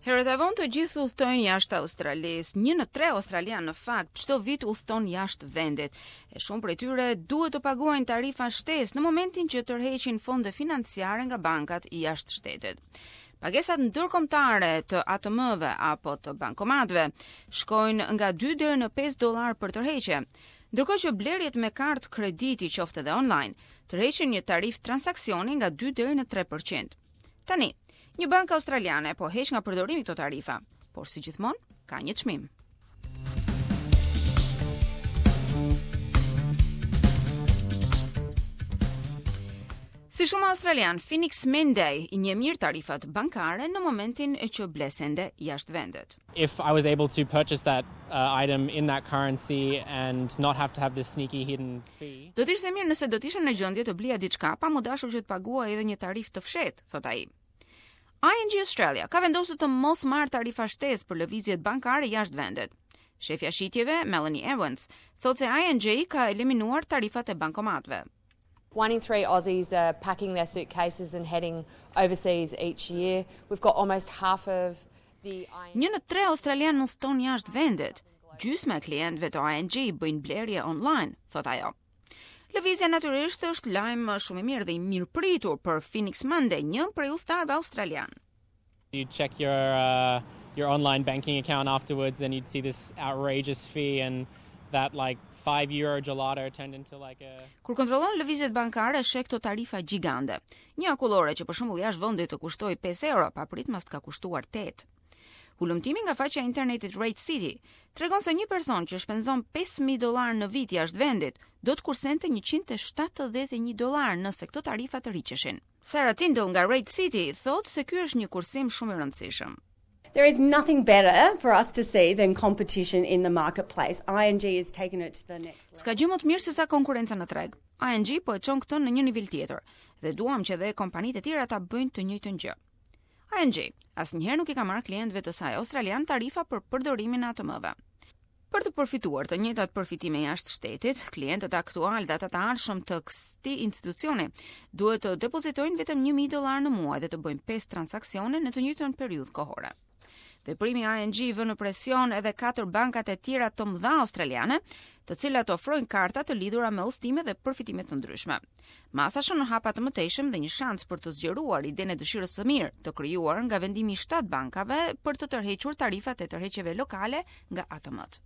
Herët a vonë të gjithë udhëtojnë jashtë Australisë. Një në tre australianë në fakt çdo vit udhëton jashtë vendit. E shumë prej tyre duhet të paguajnë tarifa shtesë në momentin që tërheqin fonde financiare nga bankat jashtë shtetit. Pagesat ndërkombëtare të ATM-ve apo të bankomatëve shkojnë nga 2 deri në 5 dollar për tërheqje. Ndërkohë që blerjet me kartë krediti qoftë edhe online, tërheqin një tarifë transaksioni nga 2 deri në 3%. Tani, një bankë australiane po heq nga përdorimi këto tarifa, por si gjithmonë ka një çmim. Si shumë australian, Phoenix Menday i njeh mirë tarifat bankare në momentin e që ble sende jashtë vendit. If I was able to purchase that uh, item in that currency and not have to have this sneaky hidden fee. Do të ishte mirë nëse do të isha në gjendje të blija diçka pa m'u dashur që të paguaj edhe një tarifë të fshehtë, thotë ai. ING Australia ka vendosur të mos marrë tarifa shtesë për lëvizjet bankare jashtë vendit. Shefja e shitjeve, Melanie Evans, thotë se ING ka eliminuar tarifat e bankomatëve. One in three Aussies are packing their suitcases and heading overseas each year. We've got almost half of the Një në tre australianë udhëton jashtë vendit. Gjysma e klientëve të ING bëjnë blerje online, thotë ajo. Lëvizja natyrisht është lajm shumë i mirë dhe i mirëpritur për Phoenix Monday, një prej udhëtarëve australian. You check your uh, your online banking account afterwards and you'd see this outrageous fee and that like 5 euro gelato turned into like a Kur kontrollon lëvizjet bankare, sheh këto tarifa gjigande. Një akullore që për shembull jashtë vendit të kushtoi 5 euro, papritmas të ka kushtuar 8. Hulumtimi nga faqja e internetit Rate City tregon se një person që shpenzon 5000 dollar në vit jashtë vendit do të kursente 171 dollar nëse këto tarifa të rriqeshin. Sarah Tindall nga Rate City thotë se ky është një kursim shumë i rëndësishëm. There is nothing better for us to see than competition in the marketplace. ING has taken it to the next level. S'ka gjë më të mirë se sa konkurrenca në treg. ING po e çon këtë në një nivel tjetër dhe duam që edhe kompanitë e tjera ta bëjnë të njëjtën gjë. ING asnjëherë nuk i ka marrë klientëve të saj australian tarifa për përdorimin e ATM-ve. Për të përfituar të njëjtat përfitime jashtë shtetit, klientët aktual dhe ata të ardhshëm të këtij institucioni duhet të depozitojnë vetëm 1000 dollar në muaj dhe të bëjnë 5 transaksione në të njëjtën periudhë kohore. Veprimi ING vë në presion edhe katër bankat e tjera të mëdha australiane, të cilat ofrojnë karta të lidhura me udhëtime dhe përfitime të ndryshme. Masa shënon hapa të mëtejshëm dhe një shans për të zgjeruar idenë e dëshirës së mirë të krijuar nga vendimi i 7 bankave për të tërhequr tarifat e tërheqjeve lokale nga ATM-t.